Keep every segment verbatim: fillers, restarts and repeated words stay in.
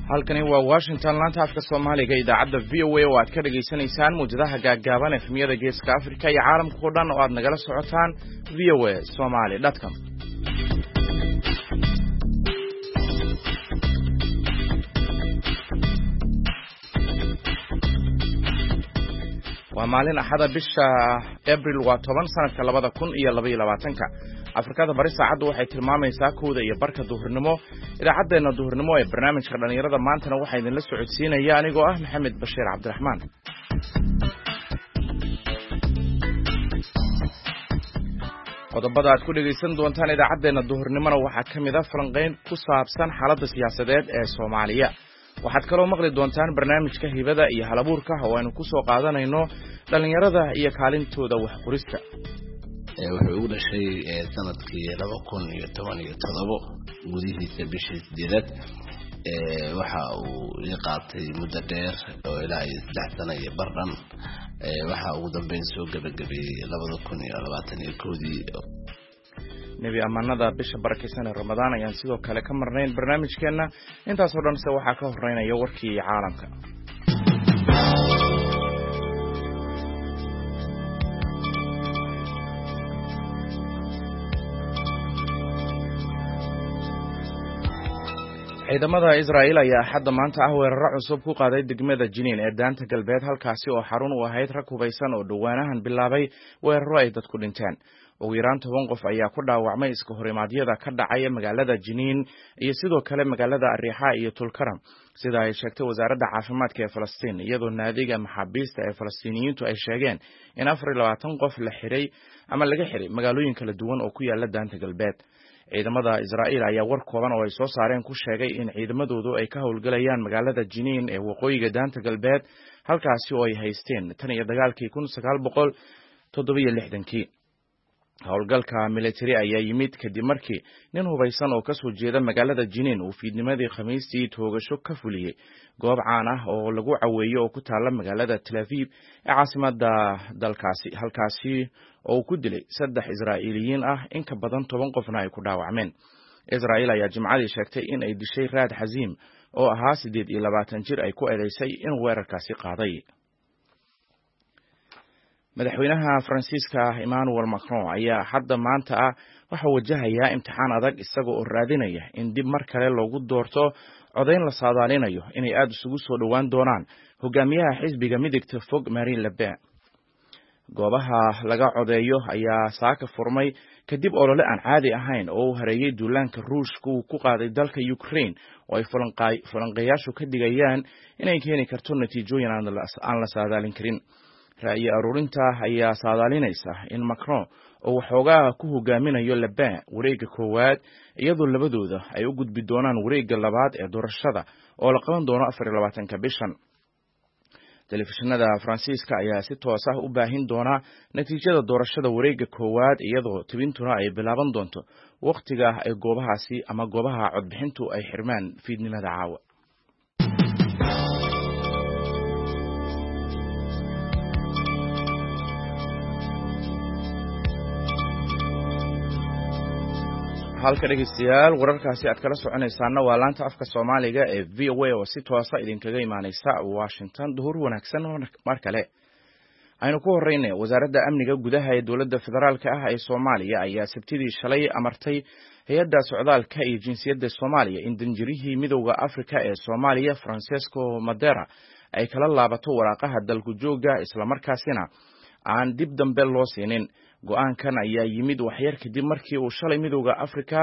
Halkani waa Washington, laanta afka Soomaaliga, idaacadda V O A, oo aad ka dhegaysanaysaan muwjadaha gaaggaaban, F M-yada Geeska Africa iyo caalamka o dhan oo aad nagala socotaan V O A Somali com. Waa maalin Axada, bisha Abril waa toban, sanadka labada kun iyo labaiyo labaatanka. Afrikada Bari saacaddu waxay tilmaamaysaa kowda iyo barka duhurnimo. Idaacaddeenna duhurnimo ee barnaamijka dhallinyarada maantana waxaa idinla socodsiinaya anigoo ah Maxamed Bashiir Cabdiraxmaan. Qodobada aad ku dhegaysan doontaan idaacaddeenna duhurnimona waxaa ka mid a falanqayn ku saabsan xaaladda siyaasadeed ee Soomaaliya. Waxaad kaloo maqli doontaan barnaamijka hibada iyo halabuurka, oo aynu ku soo qaadanayno dhallinyarada iyo kaalintooda waxqorista. Wuxuu ugu dhashay sanadkii laba kun iyo toban iyo todobo gudihiisa, bishii sideedaad. Waxa uu ii qaatay muddo dheer oo ilaa iyo saddex sano iyo bardhan. Waxa ugu dambeyn soo gebagabeeyey labada kun iyo labaatan iyo kowdii. Nebi ammaanada bisha barakaysan ee Ramadaan ayaan sidoo kale ka marnayn barnaamijkeenna. Intaasoo dhan se waxaa ka horeynaya warkii caalamka. Ciidamada Israa'iil ayaa Axadda maanta ah weeraro cusub ku qaaday degmada Jiniin ee Daanta Galbeed, halkaasi oo xarun u ahayd rag hubaysan oo dhowaanahan bilaabay weeraro ay dadku dhinteen. Ugu yaraan toban qof ayaa ku dhaawacmay iska horimaadyada ka dhacay magaalada Jiniin iyo sidoo kale magaalada Ariixa iyo Tulkaram, sida ay sheegtay wasaaradda caafimaadka ee Falastiin, iyadoo naadiga maxaabiista ee Falastiiniyiintu ay sheegeen in afar iyo labaatan qof la xiray ama laga xiray magaalooyin kala duwan oo ku yaala Daanta Galbeed. Ciidamada Israa'iil ayaa war kooban oo ay soo saareen ku sheegay in ciidamadoodu ay ka howlgalayaan magaalada Jiniin ee waqooyiga Daanta Galbeed, halkaasi oo ay haysteen tan iyo dagaalkii kun sagaal boqol toddobiyo lixdankii. Howlgalka military ayaa yimid kadib markii nin hubaysan oo kasoo jeeda magaalada Jiniin uu fiidnimadii Khamiistii toogasho ka fuliyey goob caan ah oo lagu caweeyo oo ku taalla magaalada Tel Aviv ee caasimada dalkaasi, halkaasi oo uu ku dilay saddex Israa'iiliyiin ah, in ka badan toban qofna ay ku dhaawacmeen. Israa'iil ayaa Jimcadii sheegtay in ay dishay Raad Xaziim oo ahaa siddeed iyo labaatan jir ay ku eedeysay inuu weerarkaasi qaaday. Madaxweynaha Faransiiska Emmanuel Macron ayaa hadda maanta ah waxaa wajahayaa imtixaan adag, isaga oo raadinaya in dib mar kale loogu doorto codayn la saadaalinayo inay aada isugu soo dhowaan doonaan hogaamiyaha xisbiga midigta fog Marine Le Pen. Goobaha laga codeeyo ayaa saaka furmay kadib olole aan caadi ahayn oo uu hareeyey duulaanka Ruushka uu ku qaaday dalka Ukraine, oo ay falanqeeyaashu ka digayaan inay keeni karto natiijooyin aan la saadaalin karin. Ra'yi aruurinta ayaa saadaalinaysa in Macron oo waxoogaa ku hogaaminayo Le Pen wareegga koowaad, iyadoo labadooda ay u gudbi doonaan wareegga labaad ee doorashada oo la qaban doono afar iyo labaatanka bishan. Telefishinada Faransiiska ayaa si toos ah u baahin doona natiijada doorashada wareegga koowaad, iyadoo tibintuna ay bilaaban doonto wakhtiga ay goobahaasi ama goobaha codbixintu ay xirmaan fiidnimada caawa. Halka, dhegeystayaal, wararkaasi aad kala soconaysaana waa laanta afka Soomaaliga ee V O A oo si toosa idinkaga imaaneysa Washington. Duhur wanaagsan mar kale. Aynu ku horeyne, wasaaradda amniga gudaha ee dowladda federaalka ah ee Soomaaliya ayaa Sabtidii shalay amartay hay-adda socdaalka iyo jinsiyadda Soomaaliya in danjirihii Midowda Afrika ee Soomaaliya Francesco Madera ay kala laabato waraaqaha dalku jooga, islamarkaasina aan dib dambe loo siinin. Go-aankan ayaa yimid waxyar kadib markii uu shalay Midowda Afrika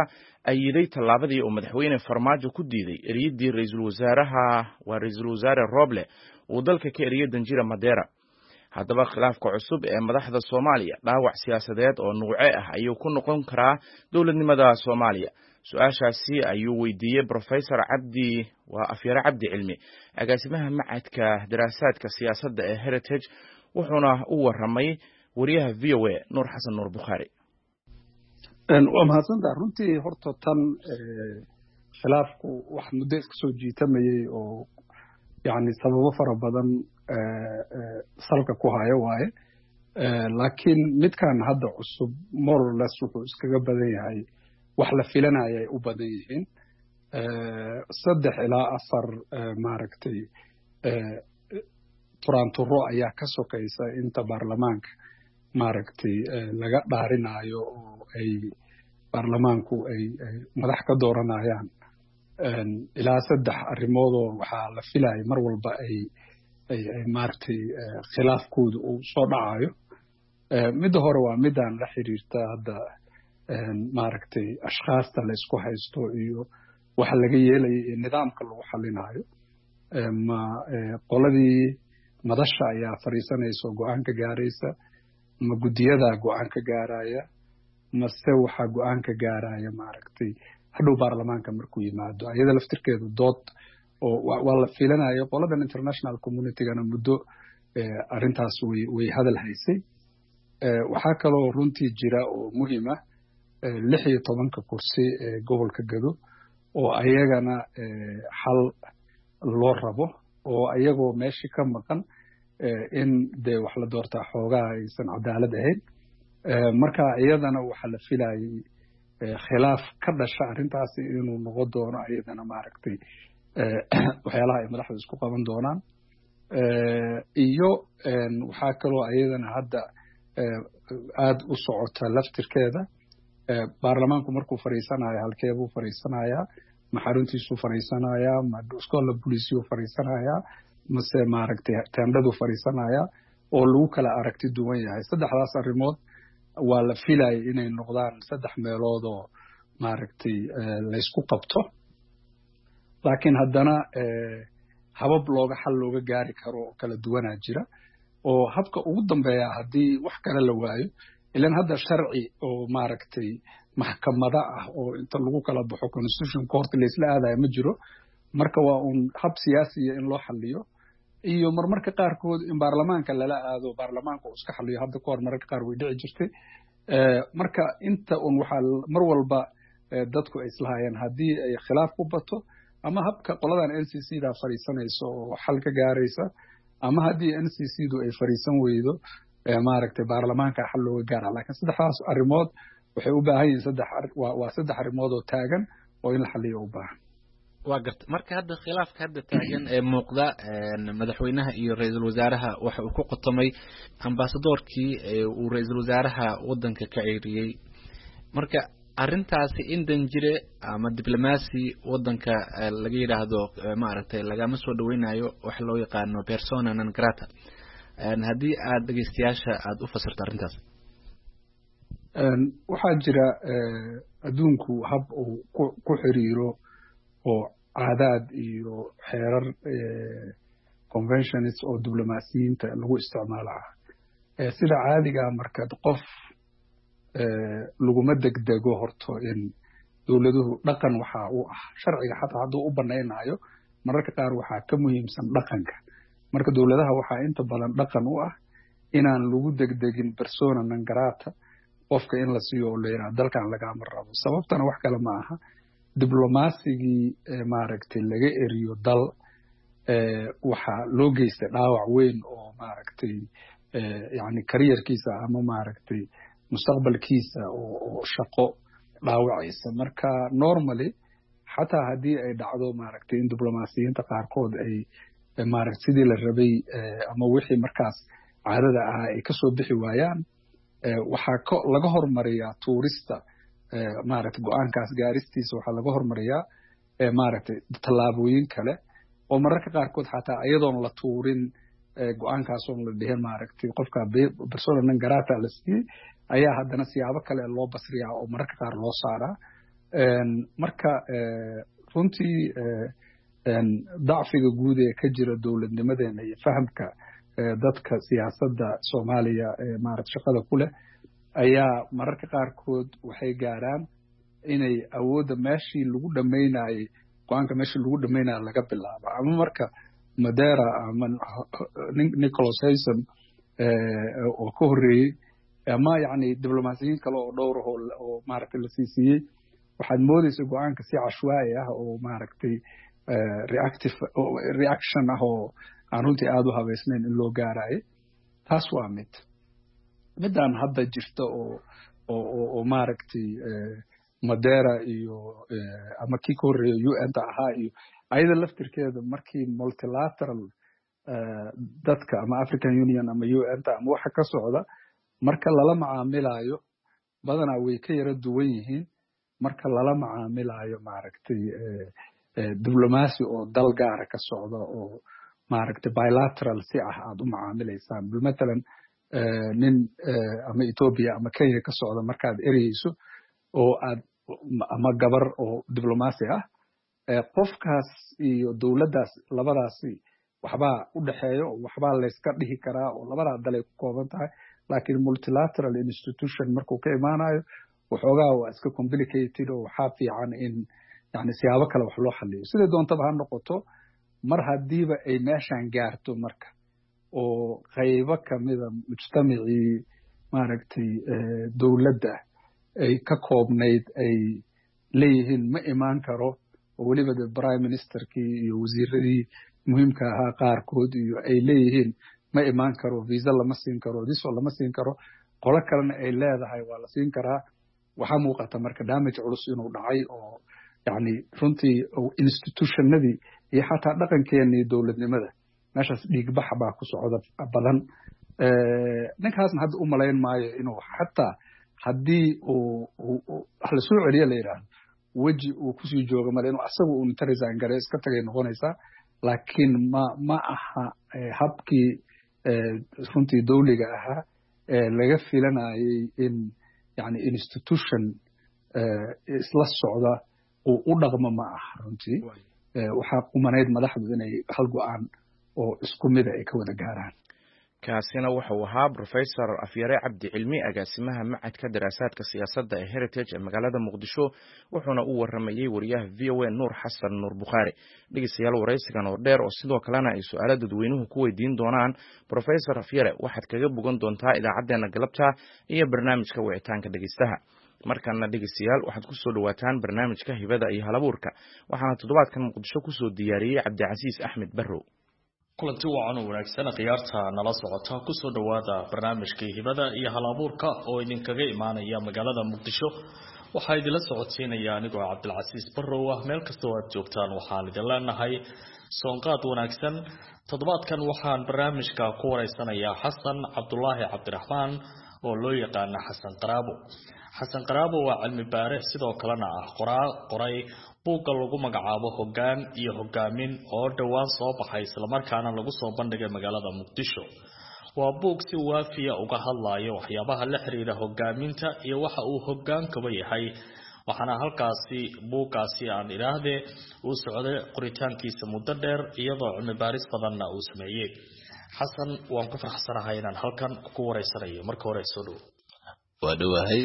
ayiday tallaabadii uu Madaxweyne Farmaajo ku diiday eriyadii ra-iisul wasaaraha, waa Ra-iisul Wasaare Roble, uu dalka ka eriyay danjira Madera. Haddaba, khilaafka cusub ee madaxda Soomaaliya dhaawac siyaasadeed oo nuuce ah ayuu ku noqon karaa dowladnimada Soomaaliya? Su-aashaasi ayuu weydiiyey Professor Cabdi, waa Afyare Cabdi Cilmi, agaasimaha macadka daraasaadka siyaasadda ee Heritage, wuxuuna u warramay wariyaha V O A Nuur Xasan Nuur Bukhaari. Waa mahadsantaha. Runtii horta tan khilaafku wax muddo iska soo jiitamayey oo yani sababo fara badan salka ku hayo waaye, laakiin midkan hadda cusub more or less wuxuu iskaga badan yahay wax la filanaya ay u badan yihiin. Saddex ilaa afar maaragtay turaanturo ayaa ka sokaysa inta baarlamaanka maaragtay laga dhaarinayo oo ay baarlamaanku ay madax ka dooranayaan. Ilaa saddex arrimoodoo waxaa la filaya mar walba ay ay ay maaragtay khilaafkooda uu soo dhacayo. Midda hore waa midaan la xiriirta hadda maaragtay ashkhaasta la isku haysto iyo waxa laga yeelaya iyo nidaamka lagu xalinayo. Ma qoladii madasha ayaa fadhiisanaysa oo go-aan ka gaaraysa, ma guddiyadaa go-aan ka gaaraya, mase waxaa go-aan ka gaaraya maaragtay hadhow baarlamaanka markuu yimaado? Iyada laftirkeedu dood oo waa la filanayo. Qoladan international communitygana muddo arrintaas way way hadal haysay. Waxaa kaloo runtii jira oo muhiim ah lix iyo tobanka kursi ee gobolka Gado oo ayagana xal loo rabo, oo ayagoo meeshii ka maqan in dee wax la doortaa xoogaha aysan cadaalad ahayn. Marka iyadana waxaa la filayay khilaaf ka dhasha arrintaasi inuu noqon doono iyadana maaragtay waxyaalaha ay madaxdu isku qaban doonaan. Iyo waxaa kaloo iyadana hadda aada u socota laftirkeeda, baarlamaanku markuu fadhiisanayo halkeebuu fadhiisanayaa? Ma xaruntiisuu fadhiisanayaa, ma iskoola bolisiyuu fadhiisanayaa, mase maaragtay teendhaduu fadhiisanayaa, oo lagu kala aragti duwan yahay? Saddexdaas arrimood waa la filayay inay noqdaan saddex meelood oo maaragtay laysku qabto, laakiin haddana habab looga xal looga gaari karo oo kala duwanaa jira. Oo habka ugu dambeeya haddii wax kale la waayo, ilan hadda sharci oo maaragtay maxkamada ah oo inta lagu kala baxo constitution court laysla aadaya ma jiro. Marka waa uun hab siyaasiya in loo xaliyo, iyo marmarka qaarkood in baarlamaanka lala aado, baarlamaanka uu iska xaliyo. Hadda ka hor mararka qaar way dhici jirtay. Marka inta un waxaa mar walba dadku ay islahaayeen haddii ay khilaaf ku bato, ama habka qoladan N C C da fadhiisanaysa oo xal ka gaaraysa, ama haddii N C C du ay fadhiisan weydo, maaragtay baarlamaanka xal looga gaara. Laakiin saddexdaas arrimood waxay u baahan yihiin saddex, waa saddex arrimood oo taagan oo in la xaliyo u baahan. Waa garta. Marka hadda khilaafka hadda taagan ee muuqda madaxweynaha iyo ra-iisul wasaaraha waxa uu ku qotomay ambasadoorkii uu ra-iisul wasaaraha waddanka ka ceyriyey. Marka arrintaasi in danjire ama diblomaasi waddanka laga yidhaahdo maaragtay lagama soo dhaweynayo, waxa loo yaqaano persona non grata, haddii aad dhegeystayaasha aada u fasirto arrintaas. Waxaa jira adduunku hab uu ku xiriiro oo caadaad iyo xeerar conventions oo diblomaasiyiinta lagu isticmaalo ah. Sida caadigaa markaad qof laguma degdego horto in dowladuhu dhaqan waxaa u ah sharciga xataa hadduu u banaynayo, mararka qaar waxaa ka muhiimsan dhaqanka. Marka dowladaha waxaa inta badan dhaqan u ah inaan lagu degdegin persona non grata qofka in la siiyo oo la yidhaha dalkan lagama rabo. Sababtana wax kale ma aha, diblomasigii maaragtay laga eriyo dal waxaa loo geystay dhaawac weyn oo maaragtay yani kariyarkiisa ama maaragtay mustaqbalkiisa oo shaqo dhaawacaysa. Marka normally xataa haddii ay dhacdo maaragtay in diblomaasiyiinta qaarkood ay maaragtay sidii la rabay ama wixii markaas caadada ahaa ay kasoo bixi waayaan, waxaa k laga hormariyaa tuurista maaragtay go-aankaas gaaristiisa, waxaa laga hormariyaa maaragtay tallaabooyin kale oo mararka qaarkood xataa iyadoon la tuurin go-aankaasoon la dhihin maaragtay qofka persona non grata la siiyey, ayaa haddana siyaabo kale loo basriyaa oo mararka qaar loo saaraa. Marka runtii dacfiga guud ee ka jira dowladnimadeena iyo fahamka dadka siyaasadda Soomaaliya ee maaragta shaqada ku leh ayaa mararka qaarkood waxay gaaraan inay awoodda meeshii lagu dhamaynayay go-aanka meeshii lagu dhamaynayo laga bilaabo, ama marka Madera ama Nicholas Haysom oo ka horreeyey ama yacni diblomaasiyiin kale oo dhowr ah oo maaragtay la siisiiyey, waxaad moodaysa go-aanka si cashwaa'i ah oo maaragtay reactive reaction ah oo aan runtii aada u habaysnayn in loo gaarayo. Taas waa mid. Midaan hadda jirta oo oo oo maaragtay Madeira iyo ama kii ka horreeya U N ta ahaa iyo ayada laftirkeeda markii multilateral dadka ama African Union ama U N ta ama waxa ka socda marka lala macaamilayo badanaa way ka yara duwan yihiin marka lala macaamilayo maaragtay diblomaasi oo dal gaara ka socda oo maaragtay bilateral si ah aad u macaamilaysaan. Matalan nin ama Ethiopia ama Kenya ka socda markaad ereyeyso oo aad ama gabar oo diblomaasi ah, qofkaas iyo dowladdaas labadaasi waxbaa u dhexeeyo, waxbaa layska dhihi karaa oo labadaa dalay ku kooban tahay. Laakiin multilateral institution markuu ka imaanayo waxoogaa waa iska complicated oo waxaa fiican in yani siyaabo kale wax loo xaliyo. Siday doontaba ha noqoto, mar haddiiba ay meeshan gaarto marka oo qaybo kamida mujtamacii maaragtay dowladda ay ka koobnayd ay leeyihiin ma imaan karo, oo weliba de prime ministerkii iyo wasiiradii muhiimka ahaa qaarkood iyo ay leeyihiin ma imaan karo, visa lama siin karo, diso lama siin karo, qolo kalena ay leedahay waa la siin karaa. Waxaa muuqata marka damage culus inuu dhacay oo yani runtii institutionadii iyo xataa dhaqankeenii dowladnimada meeshaas dhiigbax baa ku socda badan. Ninkaasna hadda u malayn maayo inuu xataa haddii uu wax lasoo celiyo la yidhaahdo weji uu kusii joogo male, inuu asagu uu inta resign gareeyo iska tagay noqonaysaa. Laakiin ma ma aha habkii runtii dowliga ahaa ee laga filanayay in yani institution isla socda uu u dhaqmo, ma aha runtii. Waxaa qumanayd madaxdu inay hal go'aan oo isku mida ay ka wada gaaraan. Kaasina wuxuu ahaa Professor Afyare Cabdi Cilmi, agaasimaha Macadka Daraasaadka Siyaasadda ee Heritage ee magaalada Muqdisho, wuxuuna u waramayey wariyaha V O A Nuur Xasan Nuur Bukhaari. Dhegeystayaal, waraysigan oo dheer oo sidoo kalena ay su-aalo dadweynuhu ku weydiin doonaan Professor Afyare waxaad kaga bogan doontaa idaacaddeenna galabta iyo barnaamijka wicitaanka dhegeystaha. Markana dhegeystayaal, waxaad kusoo dhawaataan barnaamijka hibada iyo halabuurka, waxaana toddobaadkan Muqdisho kusoo diyaariyey Cabdicasiis Axmed Barrow. Kulanti wacan oo wanaagsan khiyaarta nala socota, kusoo dhawaada barnaamijkii hibada iyo halabuurka oo idinkaga imaanaya magaalada Muqdisho. Waxaa idinla socodsiinaya anigoo Cabdilcasiis Barrow ah. Meel kastoo aad joogtaan waxaan idin leenahay soonqaad wanaagsan. Toddobaadkan waxaan barnaamijka ku wareysanayaa Xasan Cabdulaahi Cabdiraxmaan oo loo yaqaana Xasan Qaraabo. Xasan Qaraabo waa cilmi baare, sidoo kalena ah qoraa qoray buugga lagu magacaabo Hoggaan iyo Hogaamin oo dhowaan soo baxay islamarkaana lagu soo bandhigay magaalada Muqdisho. Waa buug si waafiya uga hadlayo waxyaabaha la xiriira hogaaminta iyo waxa uu hogaankaba yahay, waxaana halkaasi buuggaasi aan idhaahdee uu socday qoritaankiisa muddo dheer iyadoo cilmi baaris badanna uu sameeyey. Xasan, waan ku faraxsanahay inaan halkan ku wareysanayo. Marka hore soo dhowo. Waa dhowahay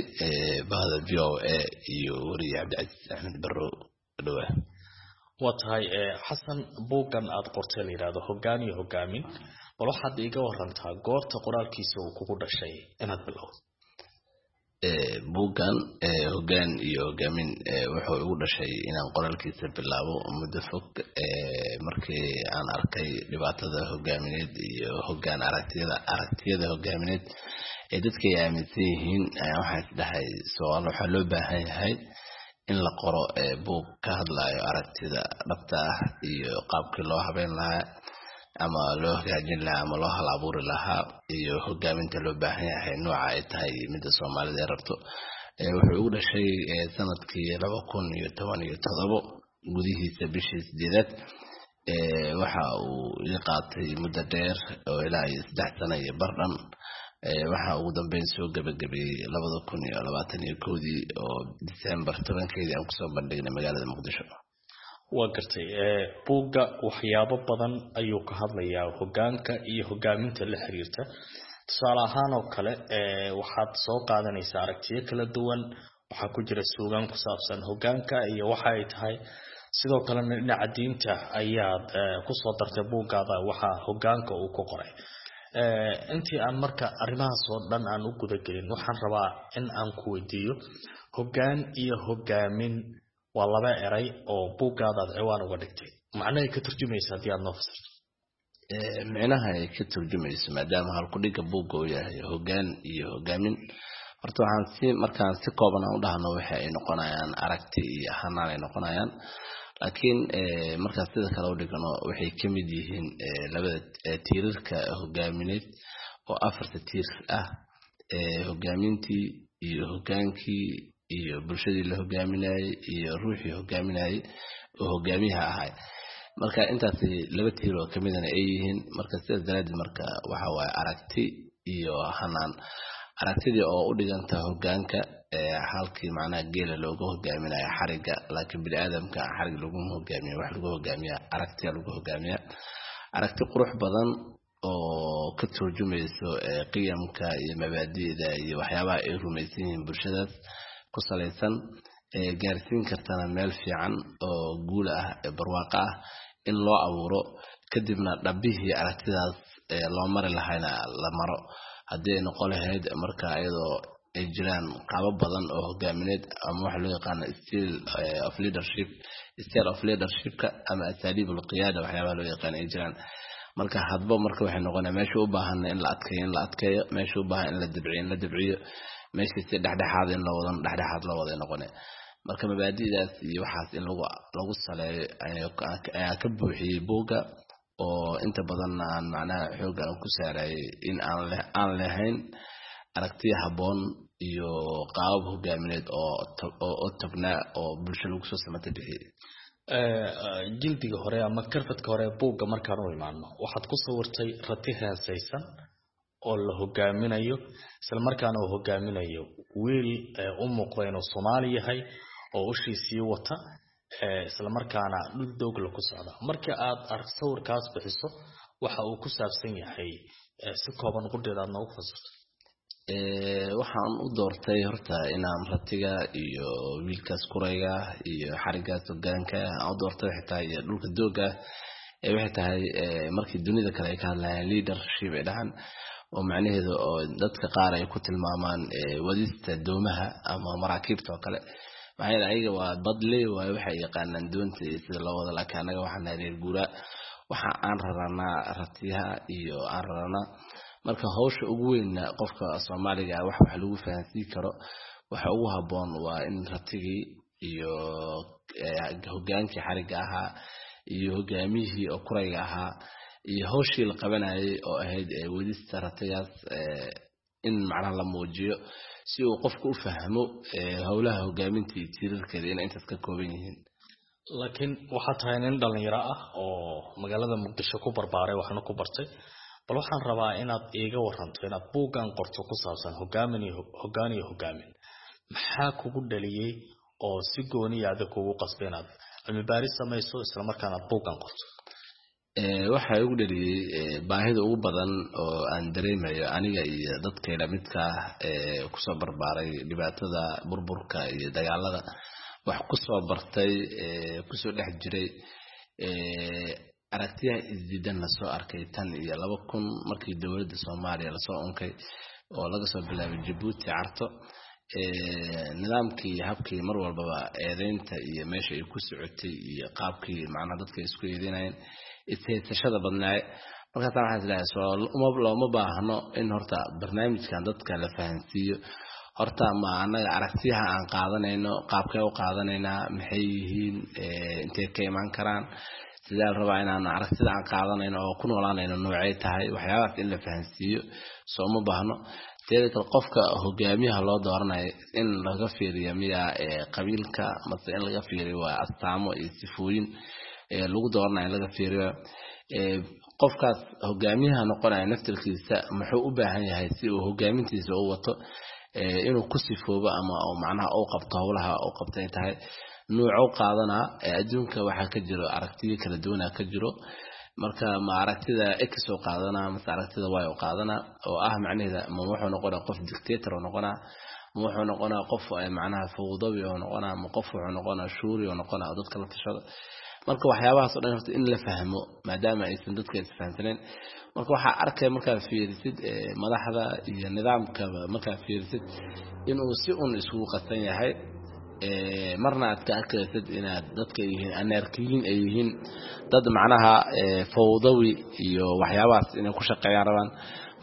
bahda V O A iyo weriye Cabdicasiis Axmed Barrow, waa dhowahay. Waa tahay Xasan, buuggan aad qortay la yidhaahdo Hoggaan iyo Hogaamin, bal waxaad iiga warantaa goorta qoraalkiisa uu kugu dhashay inaad bilowdo. Buuggan Hoggaan iyo Hogaamin wuxuu igu dhashay inaan qoraalkiisa bilaabo muddo fog, markii aan arkay dhibaatada hogaamineed iyo hoggaan aragtiyada aragtiyada hogaamineed ee dadka ay aaminsan yihiin. Waxaan isdhahay soal waxaa loo baahan yahay in la qoro buug ka hadlayo aragtida dhabta ah iyo qaabkii loo habeyn lahaa ama loo hagaajin lahaa ama loo hal abuuri lahaa iyo hogaaminta loo baahan yahay nooca ay tahay midda Soomaalida ay rabto. Wuxuu igu dhashay sanadkii laba kun iyo toban iyo todobo gudihiisa bishii sideedaad. Waxa uu ii qaatay muddo dheer oo ilaa iyo saddex sano iyo bar dhan. Waxa ugu dambeyn soo gabagabeeyey labada kun iyo labaatan iyo kowdii oo December tobankeedii aan kusoo bandhignay magaalada Muqdisho. Waa gartay, buugga waxyaabo badan ayuu ka hadlayaa hoggaanka iyo hogaaminta la xiriirta. Tusaale ahaan oo kale waxaad soo qaadanaysaa aragtiyo kala duwan, waxaa ku jira suugaan ku saabsan hoggaanka iyo waxa ay tahay, sidoo kalena dhinaca diinta ayaad kusoo dartay buuggaada waxa hoggaanka uu ku qoray. Intii aan marka arrimahaas oo dhan aan u gudagelin, waxaan rabaa in aan ku weydiiyo, hoggaan iyo hogaamin waa laba eray oo buuggaada aad ciwaan uga dhigtay, macnahay ka turjumaysa haddii aad noo fasirto. Micnaha ay ka turjumayso, maadaama halkudhigga buugga uu yahay hoggaan iyo hogaamin, Horta waxaan si markaan si kooban aan u dhahno, waxa ay noqonayaan aragti iyo hanaan ay noqonayaan, laakiin markaan sida kale u dhigno, waxay ka mid yihiin labada tiirarka hogaamineed oo afarta tiir ah: hogaamintii iyo hogaankii iyo bulshadii la hogaaminayey iyo ruuxii hogaaminayey oo hogaamiyaha ahay. Marka intaas laba tiir oo kamidana ay yihiin. Marka sidaas daraadeed, marka waxa waaye aragti iyo hanaan. Aragtidii oo u dhiganta hogaanka, halkii macnaha geela looga hogaaminayo xariga, laakiin biniaadamka xarig laguma hogaamiyo. Wax lagu hogaamiya aragtiya lagu hogaamiya, aragti qurux badan oo ka turjumayso qiyamka iyo mabaadi'da iyo waxyaabaha ay rumaysan yihiin bulshadaas ku salaysan, gaarsiin kartana meel fiican oo guul ah, barwaaqo ah in loo abuuro, kadibna dhabbihii aragtidaas loo mari lahayna la maro. Haddii ay noqon lahayd marka iyadoo ay jiraan qaabo badan oo hogaamineed ama waxa loo yaqaano style of leadership, style of leadershipka ama أساليب القيادة, waxyaabaha loo yaqaano ay jiraan. Marka hadba marka waxay noqonaya meesha u baahan in la adkeeyo in la adkeeyo, meesha u baahan in la dabciyo in la dabciyo, meesha si dhexdhexaad in la wadano dhexdhexaad la wada noqonaya. Marka mabaadi'daas iyo waxaas in lagu lagu saleeyo ayaa ka buuxiyey buugga, oo inta badanna aan macnaha xoogga aan ku saarayay in aan aan lahayn aragtiya habboon iyo qaabab hogaamineed oo oo tagnaa oo bulsho lagu soo samata bixiyey. Jildiga hore ama karfadka hore ee buugga markaan u imaano, waxaad ku sawirtay rati heesaysan oo la hogaaminayo, isla markaana uu hogaaminayo wiil u muuqda inuu Soomaali yahay oo ushiisii wata, isla markaana dhul doogla ku socda. Marka aad sawirkaas bixiso, waxa uu ku saabsan yahay si kooban qudheeda aad noogu fasirto. Waxaan u doortay horta inaan ratiga iyo wiilkaas kurayga iyo xarigaas hogaanka aan u doortay waxay tahay, iyo dhulka dooga, waxay tahay markii dunida kale ay ka hadlayaan leadership ay dhahaan, oo macnaheedu oo dadka qaar ay ku tilmaamaan wadista doomaha ama maraakiibta oo kale. Maxaa yeele ayaga waa badley waaye, waxay yaqaanaan doonta iyo sida loo wado, laakiin annaga waxaan nahay reer guuraa, waxa aan raranaa ratiyaha iyo aan raranaa. Marka hawsha ugu weynna qofka Soomaaliga ah wax wax lagu fahansiin karo, waxa ugu habboon waa in ratigii iyo hogaankii xarigga ahaa iyo hogaamiyihii oo kurayga ahaa iyo hawshii la qabanayay oo ahayd wadista ratigaas in macnaha la muujiyo, si uu qofku u fahmo howlaha hogaaminta iyo tiirarkeeda inay intaas ka kooban yihiin. Laakiin waxaad tahay nin dhalinyaro ah oo magaalada Muqdisho ku barbaaray, waxna ku bartay. Bal waxaan rabaa inaad iiga waranto inaad buuggan qorto ku saabsan hogaamin iyo hoggaan iyo hogaamin. Maxaa kugu dhaliyey oo si gooniya adag kugu qasbay inaad cilmi baaris samayso, isla markaana aad buuggan qorto? Waxaa igu dhaliyey baahida ugu badan oo aan dareemayo aniga iyo dadkayla midka ah ee kusoo barbaaray dhibaatada burburka iyo dagaalada, wax kusoo bartay, kusoo dhex jiray aragtiyaha isdiidan, lasoo arkay tan iyo laba kun markii dowladda Soomaaliya lasoo unkay, oo laga soo bilaabay Jabuuti, Carto, nidaamkii iyo habkii mar walbaba eedeynta iyo meesha ay ku socotay iyo qaabkii macnaha dadka isku eedeynayeen, ishaysashada badnaaye. Markaasaan waxaan isleeyahay, soo looma baahno in horta barnaamijkan dadka la fahansiiyo? Horta ma annaga aragtiyaha aan qaadanayno qaabkee u qaadanaynaa, maxay yihiin, intee ka imaan karaan, sidee la rabaa inaan aragtida aan qaadanayno oo ku noolaanayno noocay tahay? Waxyaabahaas in la fahansiiyo soo uma baahno? Teeda kale, qofka hogaamiyaha loo dooranayo in laga fiiriyo miyaa qabiilka, mase in laga fiiriyo waa astaamo iyo sifooyin lagu dooranayo in laga fiiriyo? Qofkaas hogaamiyaha noqonaya naftirkiisa muxuu u baahan yahay si uu hogaamintiisa u wato inuu ku sifoobo ama macnaha u qabto howlaha u qabtay tahay nuuco qaadanaa? Adduunka waxaa ka jiro aragtiyo kala duwana ka jiro. Marka ma aragtida X oo qaadanaa mase aragtida Y oo qaadanaa, oo ah macnaheeda ma wuxuu noqonaa qof dictator oo noqonaa, ma wuxuu noqonaa qof macnaha fawdawi oo noqonaa, ma qof wuxuu noqonaa shuuri oo noqonaa dadka la tashada? Marka waxyaabahaas oo dhan horta in la fahmo, maadaama aysan dadka isfahansaneen. Marka waxaa arkaya markaad fiirisid madaxda iyo nidaamkaba, markaad fiirisid inuu si un isugu qasan yahay. Marna aad ka arkaysid inaad dadka yihiin anarkiyiin, ay yihiin dad macnaha fawdawi iyo waxyaabahaas inay ku shaqeeyaan rabaan.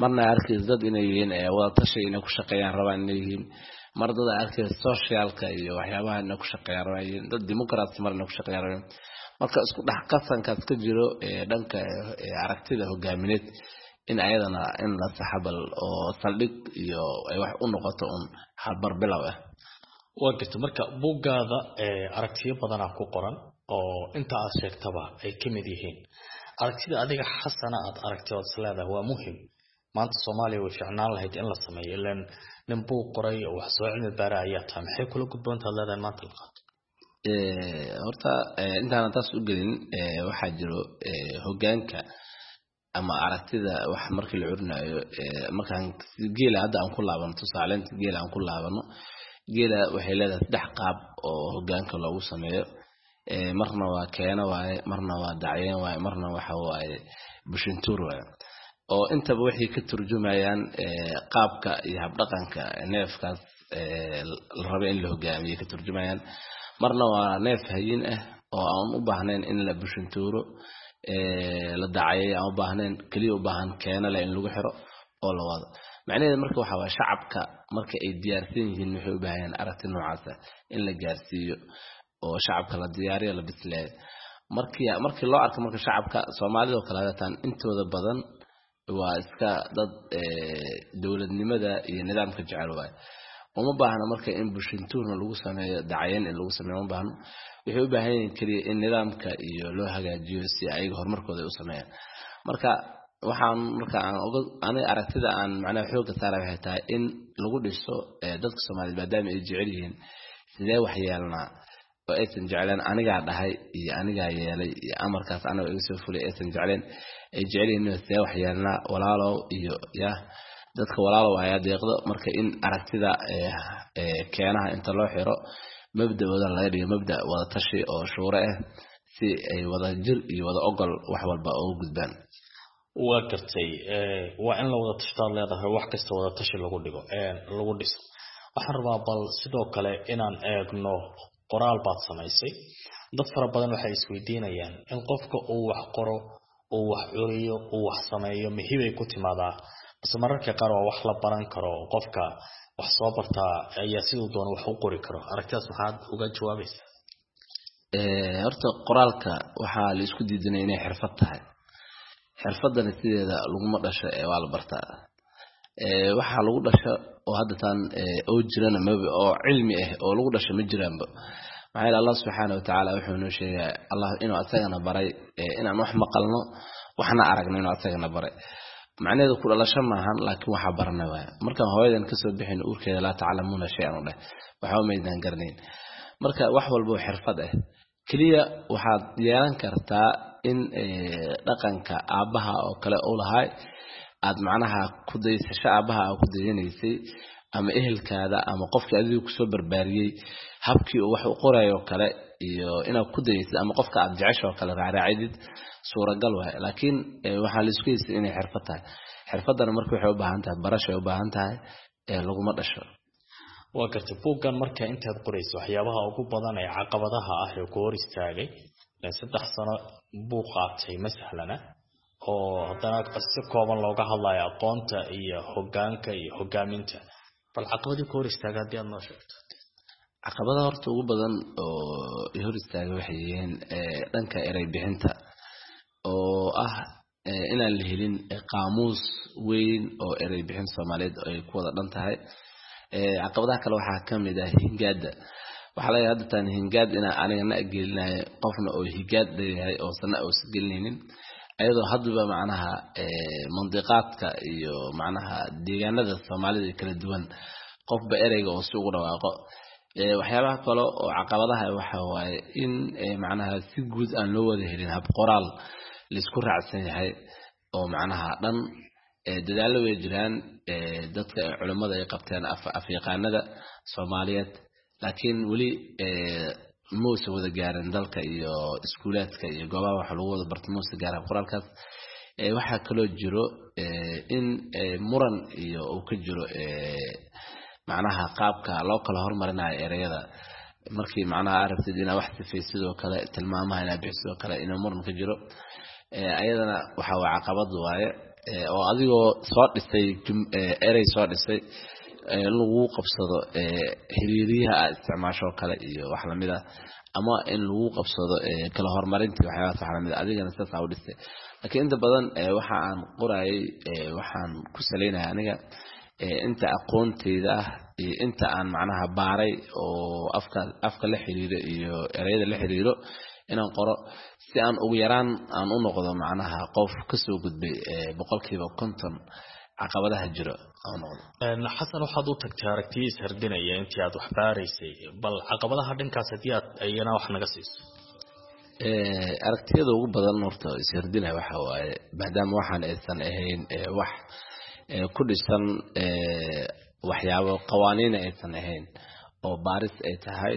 Marna aad arkaysid dad inay yihiin wadatashi inay ku shaqeeyaan rabaan inay yihiin. Mar dad aad arkaysid socialka iyo waxyaabaha inay ku shaqeeyaan rabaan yihiin, dad democrats mar inay ku shaqeeyaan rabaan. Marka isku dhex qasankaas ka jiro dhanka aragtida hogaamineed in ayadana in la saxabal oo saldhig iyo ay wax u noqoto un halbar bilow ah. Waa garta. Marka buuggaada aragtiyo badanaa ku qoran oo inta aad sheegtaba ay ka mid yihiin. Aragtida adiga Xasana aad aragtay ood is leedahay waa muhim maanta Soomaaliya way fiicnaan lahayd in la sameeyo, ilaan nin buug qoray oo wax soo cilmi baara ayaa tahay, maxay kula gudboontaad leedahay maanta la qaato? Horta intaanan taas u gelin, waxaa jiro hogaanka ama aragtida wax markii la curinayo, markaan geela hadda aan ku laabano, tusaaleynta geela aan ku laabano, geela waxay leedahay saddex qaab oo hogaanka loogu sameeyo. Marna waa keeno waaye, marna waa dacyeen waaye, marna waxa waaye bushintuur waaye, oo intaba waxay ka turjumayaan qaabka iyo habdhaqanka neefkaas la rabo in la hogaamiyo ka turjumayaan. Marna waa neef hayin ah oo aan u baahnayn in la bushintuuro, la dacayeeyo aan u baahnayn, keliya u baahan keeno leh in lagu xiro oo la wado. Macnaheedu marka waxa waaye shacabka marka ay diyaarsan yihiin waxay u baahan yihiin aragti noocaas ah in la gaarsiiyo oo shacabka la diyaariyo, la bisleeyo. Markii markii loo arko marka shacabka Soomaalida oo kale haatan intooda badan waa iska dad dowladnimada iyo nidaamka jecel waaye. Uma baahna marka in bushintuurna lagu sameeyo, dacayen in lagu sameeyo uma baahno. Waxay u baahan yihiin keliya in nidaamka iyo loo hagaajiyo si ayaga horumarkooda ay u sameeyaan. Marka waxaan marka aan oga aniga aragtida aan macnaha xoogga saara waxay tahay in lagu dhiso dadka Soomaaliyeed, maadaama ay jecel yihiin sidee wax yeelnaa oo aysan jecleen anigaa dhahay iyo anigaa yeelay iyo amarkaas aniga iga soo fulay aysan jecleen, ay jecel yihiin sidee wax yeelnaa walaalow iyo ya dadka walaalow ayaa deeqdo. Marka in aragtida keenaha inta loo xiro mabda'ooda laga dhigo mabda' wada tashi oo shuure ah si ay wada jir iyo wada ogol wax walba ugu gudbaan. Waa gartay, waa in la wada tashtaad leedahay, wax kasta wada tashi lagu dhigo lagu dhiso. Waxaan rabaa bal sidoo kale inaan eegno qoraal baad samaysay. Dad fara badan waxay isweydiinayaan in qofka uu wax qoro, uu wax curiyo, uu wax sameeyo mihibay ku timaadaa base mararka qaar waa wax la baran karo, qofka wax soo bartaa ayaa siduu doono wax u qori karo. Aragtidaas maxaad uga jawaabaysaa? Horta qoraalka waxaa la isku diidanaya inay xirfad tahay. Xirfadana sideeda laguma dhasho ee waa la bartaa. Waxaa lagu dhasho oo hadda taan oo jirana maba oo cilmi ah oo lagu dhasho ma jiraanba. Maxaa yeelay Allah subxaana wa tacaala wuxuu noo sheegaa Allah inuu asagana baray inaan wax maqalno waxna aragno, inuu asagana baray. Macnaheedu ku dhalasho maahan, laakiin waxaa baranay waaya. Markaan hooyadan kasoo bixin uurkeeda laa taclamuuna shay-an u dheh, waxba maydaan garanayn. Marka wax walba oo xirfad ah keliya waxaad yeelan kartaa in dhaqanka aabbaha oo kale uu lahay aad macnaha ku daysasho aabbaha aa ku dayanaysay ama ehelkaada ama qofkii adigu kusoo barbaariyey habkii uu wax u qorayo oo kale iyo inaad ku daysid ama qofka aad jecesho oo kale raacraacidid suuragal waay. Laakiin waxaa la isku haystay inay xirfad tahay. Xirfaddana marka waxay u baahan tahay barashay u baahan tahay ee laguma dhasho. Waa gartay. Buuggan marka intaad qorayso waxyaabaha ugu badan ee caqabadaha ah ee ku hor istaagay, saddex sano buu qaatay ma sahlana, oo haddana si kooban looga hadlayo aqoonta iyo hogaanka iyo hogaaminta, bal caqabadii ku hor istaagay haddii aad noo sheegto? Caqabadaha horta ugu badan oo i hor istaagay waxay yihiin dhanka erey bixinta oo ah inaan la helin qaamuus weyn oo erey bixin Soomaaliyeed ay ku wada dhan tahay. Caqabadaha kale waxaa ka mid ah hingaada. Waxaa laga hadda taan hingaad inaa aniga na gelinayo qofna oo higaad leeyahay oo sana uusan gelinaynin, ayadoo haddaba macnaha mandiqaadka iyo macnaha deegaanada Soomaalida kala duwan qofba ereyga oo si ugu dhawaaqo. Waxyaabaha kale oo caqabadaha waxa waaye in macnaha si guud aan loo wada helin hab qoraal laisku raacsan yahay oo macnaha dhan. Dadaallo way jiraan dadka culimmada ay qabteen afyaqaanada Soomaaliyeed, laakiin weli muusa wada gaarin dalka iyo iskuulaadka iyo goobaha wax lagu wada barto muusa gaarin qoraalkaas. Waxaa kaloo jiro in muran iyo uu ka jiro macnaha qaabka loo kala hormarinayo ereyada. Markii macnaha aragtid inaad wax sifay, sidoo kale tilmaamaha inaad bixiso sidoo kale inuu muran ka jiro, ayadana waxa waa caqabad waaye, oo adigoo soo dhisay erey soo dhisay in lagu qabsado xiriiriyaha aad isticmaasho kale iyo wax lamid ah, ama in lagu qabsado kala horumarintii waxyaabahaas wax lamid ah, adigana sidaas aa u dhistay. Laakiin inta badan waxa aan qorayay waxaan ku salaynaya aniga inta aqoonteyda ah iyo inta aan macnaha baaray oo afka afka la xiriiro iyo ereyada la xiriiro inaan qoro, si aan ugu yaraan aan u noqdo macnaha qof kasoo gudbay boqolkiiba konton caqabadaha jiro aan noqdo. Xasan, waxaad u tagtay aragtiyo ishardinaya intii aad wax baaraysay. Bal caqabadaha dhankaas haddii aad iyana wax naga siiso. Aragtiyada ugu badan horta ishardinaya waxa waaye, maadaama waxaan aysan ahayn wax ku dhisan waxyaabo qawaaniina aysan ahayn oo baaris ay tahay,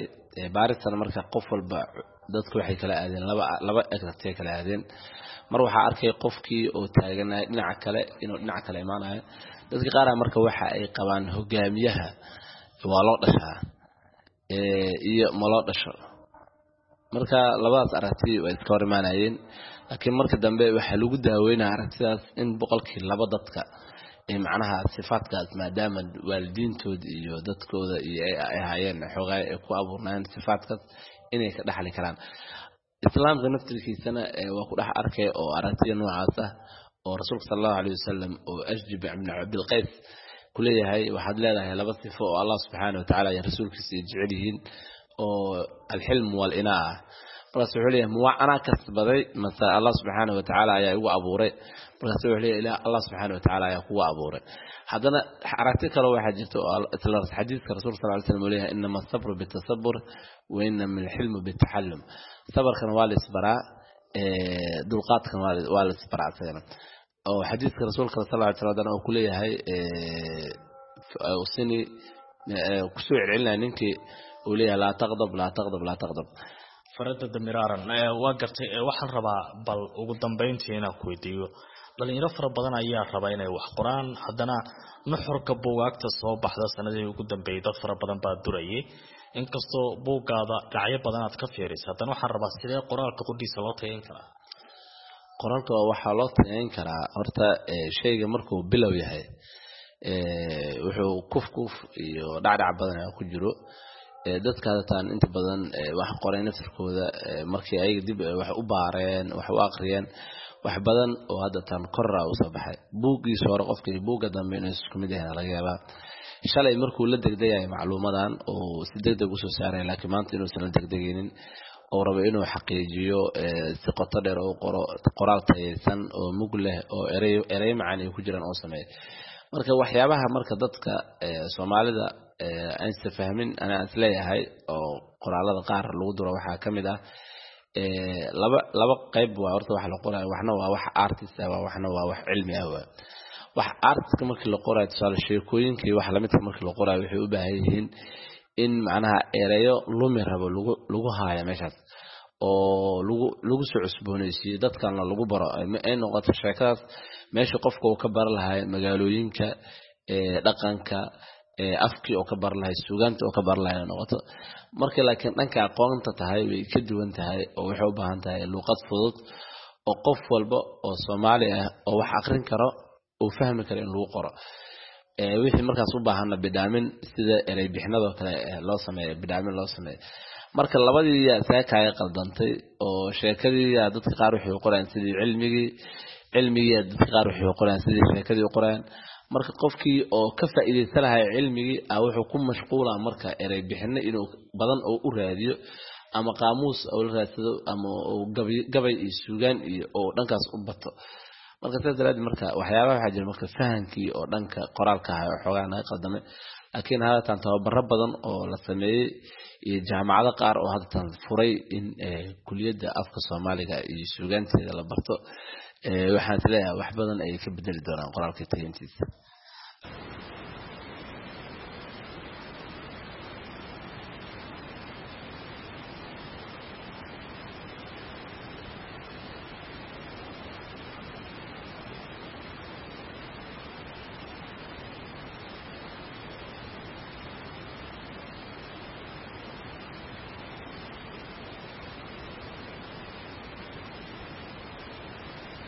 baaristana marka qof walba dadku waxay kala aadeen laba laba aragtiya kala aadeen. Mar waxaa arkay qofkii oo taaganaya dhinaca kale inuu dhinaca kale imaanayo. Dadka qaar marka waxa ay qabaan hogaamiyaha waa loo dhashaa iyo ma loo dhasho. Marka labadaas aragti way iska hor imaanayeen, laakiin marka dambe waxaa lagu daaweynaya aragtidaas in boqolkii laba dadka macnaha sifaadkaas, maadaama waalidiintooda iyo dadkooda iyo ay ahaayeen xoogaay ay ku abuurnaayeen sifaadkaas, inay ka dhaxli karaan. Islaamka naftirkiisana waa ku dhex arkay oo aragtiya noocaas ah, oo rasuulka sala Allahu alayh wasalam oo Ashjab ibn Cabdilqays kuleeyahay, waxaad leedahay laba sifo oo Allah subxaana watacaala iyo rasuulkiisa ay jecel yihiin, oo alxilm walinaa ah. Markaas wuxuu leeyahay, ma anaa kasbaday mase Allah subxaana watacaala ayaa igu abuuray? Markaas wuxuu leeyahay, ilah Allah subxaana watacaala ayaa kugu abuuray. Haddana aragti kale waxaa jirta oo isla xadiiska rasuulka sal ly slam uu leeyahay, inama asabru bitasabur wa inama alxilmu bitaxallum. Sabarkana waa la isbaraa, dulqaadkana waa la isbaraa isagana, oo xadiiska rasuulka sal ly slam haddana uu kuleeyahay sini kusoo celcelinaya ninkii uu leeyahay, laa taqdab, laa taqdab, laa taqdab. Faradada miraaran waa gartay. Waxaan rabaa bal ugu dambeyntii inaan ku weydiiyo, dhalinyaro fara badan ayaa raba inay wax qoraan, haddana nuxurka buugaagta soo baxda sanadihii ugu dambeeyay dad fara badan baa durayay. Inkastoo buuggaada dhinacyo badan aad ka fiirisa, haddana waxaan rabaa, sidee qoraalka qudhiisa loo tayayn karaa? Qoraalka waxaa loo tayayn karaa horta shayga markuu bilow yahay wuxuu kuf kuf iyo dhacdhac badan ayaa ku jiro. Dadka hadataan inta badan wax qoray naftirkooda markii ayaga dib wax u baareen, wax u aqriyeen, wax badan oo haddatan korra usoo baxay. Buuggiisa hore qofka iyo buugga dambe inay isku mid yahay laga yaabaa. Shalay markuu la degdegayo macluumadan oo si degdeg usoo saaray, laakiin maanta inuusan la degdegaynin oo rabo inuu xaqiijiyo, si qoto dheer oo qoro, qoraal tayaysan oo mug leh oo erey erey macaan ay ku jiraan oo sameeya. Marka waxyaabaha marka dadka Soomaalida aysan fahmin anaa isleeyahay oo qoraalada qaar lagu duro waxaa ka mid ah laba laba qayb waa horta wax la qorayo. Waxna waa wax artist ah, waxna waa wax cilmi ah. Waa wax artistka markii la qorayo, tusaale sheekooyinka iyo wax lamidka markii la qorayo, waxay u baahan yihiin in macnaha ereyo lumi rabo lagu lagu haayo meeshaas oo lagu lagu soo cusboonaysiiyo, dadkana lagu baro, ay noqoto sheekadaas meesha qofka uu ka baran lahay magaalooyinka, dhaqanka, afkii oo ka baran lahay, suugaanta oo ka baran lahay noqoto. Marka laakiin dhanka aqoonta tahay way ka duwan tahay, oo waxay u baahan tahay luuqad fudud oo qof walba oo Soomaali ah oo wax aqrin karo uu fahmi karo in lagu qoro. Wixii markaas u baahanna bidhaamin, sida erey bixinadoo kale loo sameeyo, bidhaamin loo sameeyo. Marka labadii yaa isaga kaaga qaldantay, oo sheekadii yaa dadka qaar waxay u qorayaan sidii cilmigii, cilmigii yaa dadka qaar waxay u qorayaan sidii sheekadii u qorayaan. Marka qofkii oo ka faa'iidaysan lahaa cilmigii ah wuxuu ku mashquulaa marka erey bixino inuu badan oo u raadiyo, ama qaamuus oo la raadsado, ama uu gabay iyo suugaan iyo oo dhankaas u bato. Marka sidaas daraaddeed marka waxyaabaha waxaa jira marka fahankii oo dhanka qoraalka ahaa oo xoogaa naga qaldamay. Laakiin haddatan tababaro badan oo la sameeyey iyo jaamacado qaar oo haddatan furay in kuliyadda afka Soomaaliga iyo suugaanteeda la barto, waxaan isleeyahay wax badan ayay ka bedeli doonaan qoraalka tayeyntiisa.